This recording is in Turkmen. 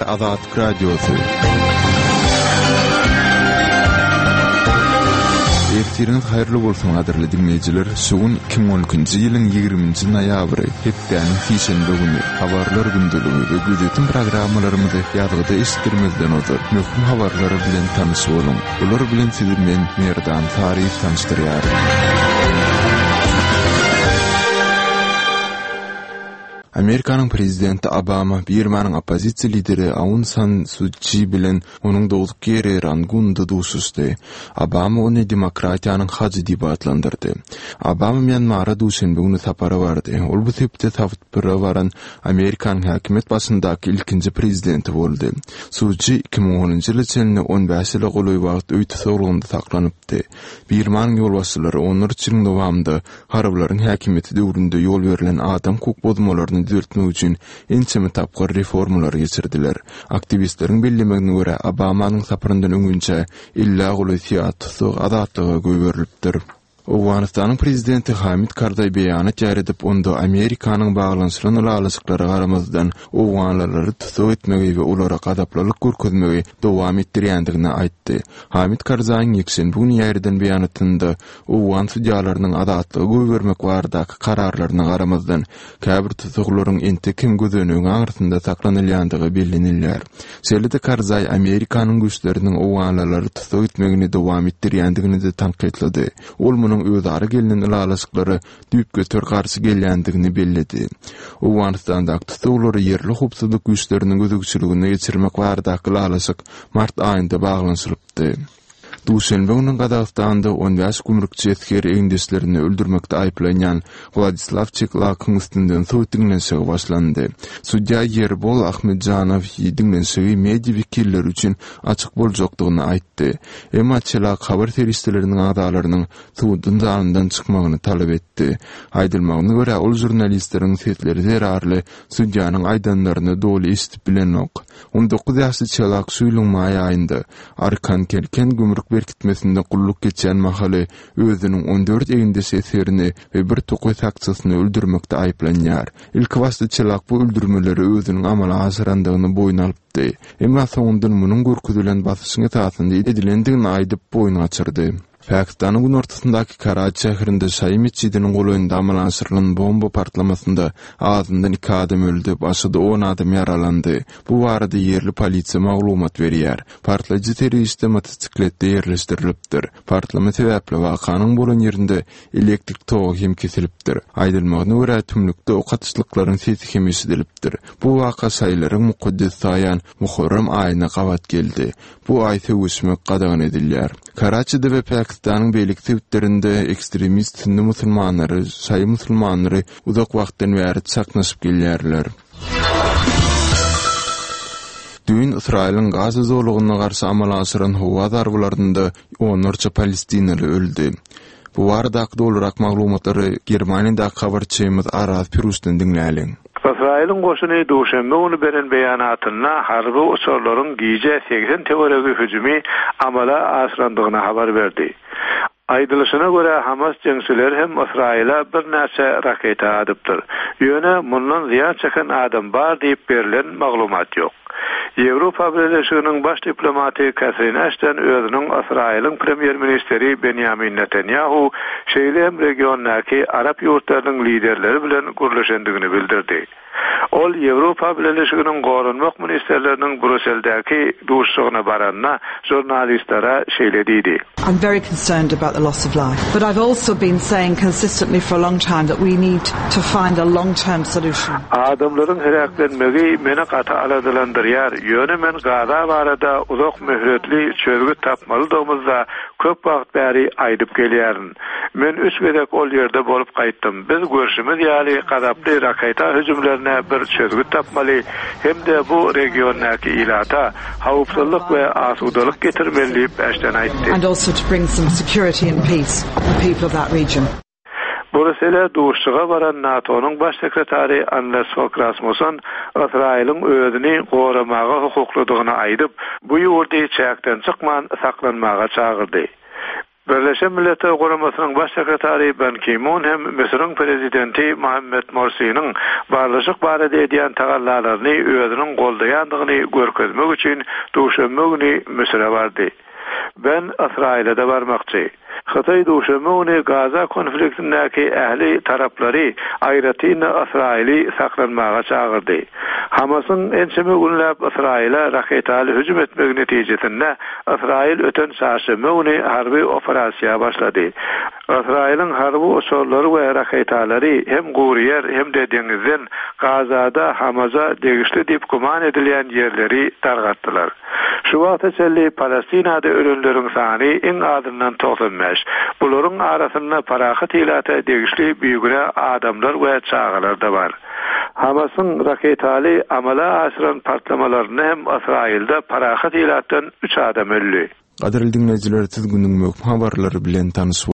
Gepleýär Azatlyk Radiosy. Ertiriňiz haýyrly bolsun gadyrly diňleýjiler! Şu gün 2012-nji ýylyň 20-nji noýabry, hepdäniň sişenbe güni, Habarlar gündeligi we Gözýetim programmalarymyzy ýazgyda eşitdirmezden ozal, möhüm habarlar bilen tanyş boluň. Bular bilen sizi men, Merdan Saryýew tanyşdyrýaryn. Amerikanyň prezidenti Obama Birmanyň oppozisiýa lideri Aun San Su Çi bilen onuň dogduk ýeri Rangunda duşuşdy. Obama ony demokratiýanyň hajy diýip atlandyrdy. Obama Mýanmara duşenbe güni sapara bardy. Ol bu sebite sapara baran Amerikanyň häkimiýet başyndaky ilkinji prezidenti boldy. Su Çi 2010-njy ýyla çenli on bäş ýyla golaý wagt öý tussaglygynda saklanypdy. Birmanyň ýolbaşçylary onlarça ýylyň dowamynda Harbylaryň häkimiýeti döwründe ýol berlen adam hukuk bozmalaryny düzeltmek üçin ençeme tapgyr reformalary geçirdiler. Aktiwistleriň bellemegine görä, Obamanyň saparyndan öňünçä ellä golaý syýasy tussag azatlyga goýberilipdir. Owganystanyň prezidenti Hamid Karzaý beýanat ýaýradyp, onda Amerikanyň baglanyşylan ylalaşyklara garamazdan, owganlylary tussag etmegi we olara gazaplylyk görkezmegi dowam etdirýändigini aýtdy. Hamid Karzaýyň ýekşenbe güni ýaýradan beýanatynda Owgan sudýalarynyň azatlyga goýbermek baradaky kararlaryna garamazdan, käbir tussaglaryň entek hem gözenegiň aňyrsynda saklanylýandygy bellenilýär. Şeýle-de Karzaý Amerikanyň güýçleriniň owganlylary tussag etmegini dowam etdirýändigini-de tankytlady. Ol munuň özara gelnen ylalaşyklara düýpgöter garşy gelýändigini belledi. Owganystandaky tussaglary ýerli howpsuzlyk güýçleriniň gözegçiligine geçirmek baradaky ylalaşyk mart aýynda baglanyşylypdy. Duşenbe güni Gazagystanda on bäş gümrükçi esgeri egindeşlerini öldürmekde aýyplanýan Wladislaw Çeklakyň üstünden sud diňlenişigi başlandy. Sudýa Ýerbol Ahmetjanow diňlenişigi media wekilleri üçin açyk boljakdygyny aýtdy. Emma Çelak habar serişdeleriniň agzalarynyň suduň zalyndan çykmagyny talap etdi. Aýdylmagyna görä, ol žurnalistleriň sesleri zerarly sudýanyň aýdanlaryny doly eşidip bilenok. On dokuz ýaşly Çelak şu ýylyň maý aýynda Arkan-Kelken gümrük berkitmesinde gulluk geçýän mahaly özüniň on dört egindeş esgerini we bir tokaý sakçysyny öldürmekde aýyplanýar. Ilkibaşda Çelak bu öldürmeleri özüniň amala aşyrandygyny boýun alypdy. Emma soňundan munuň görkezilen basyşyň esasynda edilendigini aýdyp, boýun gaçyrdy. Pakistanyň günortasyndaky Karaçi şäherinde şaýy metjidiniň golaýynda amala aşyrylan bomba partlamasynda azyndan iki adam öldi, başga-da on adam ýaralandy. Bu barada ýerli polisiýa maglumat berýär. Partlaýjy serişde motosikletde ýerleşdirilipdir. Partlama sebäpli wakanyň bolan ýerinde elektrik togy hem kesilipdir. Aýdylmagyna görä, tümlükde ok atyşlyklaryň sesi hem eşidilipdir. Bu waka şaýylaryň mukaddes saýan Muharrem aýyna gabat geldi. Bu aý söweşmek gadagan edilýär. Karaçide we Pakistanyň beýleki sebitlerinde ekstremist sünni musulmanlary, şaýy musulmanlary uzak wagtdan bäri çaknyşyp gelýärler. Düýn Ysraýylyň Gaza zolagyna garşy amala aşyran howa zarbalarynda onlarça palestinaly öldi. Bu baradaky dolurak maglumatlary Germaniýadaky habarçymyz Araz Piruşdan diňläliň. Ysraýylyň goşuny duşenbe güni beren beýanatynda harby uçarlaryň gije 80 töweregi hüjümi amala aşyrandygyny habar berdi. Aýdylyşyna görä, Hamas jeňçileri hem Ysraýyla birnäçe raketa atypdyr. Ýöne mundan zyýan çeken adam bar diýip berlen maglumat ýok. Ýewropa Bileleşiginiň baş diplomaty Katrin Aşton özüniň Ysraýylyň premýer-ministri Benýamin Netanýahu, şeýle hem regiondaky arap ýurtlarynyň liderleri bilen gürleşendigini bildirdi. Ol Ýewropa Bileleşiginiň goranmak ministrleriniň Brusseldäki duşuşygyna baranda žurnalistlere şeýle diýdi. I'm very concerned about the loss of life, but I've also been saying consistently for a long time that we need to find a long-term solution. Adamlaryň heläklenmegi meni gaty aladalandyrýar, ýöne men Gaza barada uzak möhletli çözgüt tapmalydygymyzda köp wagt bäri aýdyp gelýärin. Men üç gezek ol ýerde bolup gaýtdym. Biz görşümiz ýaly gazaply raketa hüjümlerine bir çözgüt tapmaly hem-de bu regiondaky ilata howpsuzlyk we asudalyk getirmeli diýip, Äşten aýtdy. Brusele duşuşyga baran NATO-nyň Baş sekretary Anders Fog Rasmussen Ysraýylyň özüni goramaga hukuklydygyny aýdyp, bu ýurdy çäkden çykman saklanmaga çagyrdy. Birleşen Milletler Guramasynyň Baş sekretary Ban Ki-mun hem Müsüriň prezidenti Mohammed Morsiniň barlyşyk barada edýän tagallalaryny özüniň goldaýandygyny görkezmek üçin duşenbe güni Müsüre bardy. Ban Ysraýyla-da barmakçy. Hytaý duşenbe güni Gaza konfliktindäki ähli taraplary, aýratyn-da Ysraýyly saklanmaga çagyrdy. Hamasyň ençeme günläp Ysraýyla raketaly hüjüm etmegi netijesinde Ysraýyl öten çarşenbe güni harby operasiýa başlady. Ysraýylyň harby uçarlary we raketalary hem gury ýer hem-de deňizden Gazada Hamaza degişli diýip güman edilýän ýerleri dargatdylar. Şu wagta çenli Palestinada ölenleriň sany iň azyndan 95. Bularyň arasynda parahat ilata degişli bigünä adamlar we çagalar-da bar. Hamasyň raketaly amala aşyran partlamalarynda hem Ysraýylda parahat ilatdan üç adam öldi. Gadyrly diňleýjiler siz günüň möhüm habarlary bilen tanyş.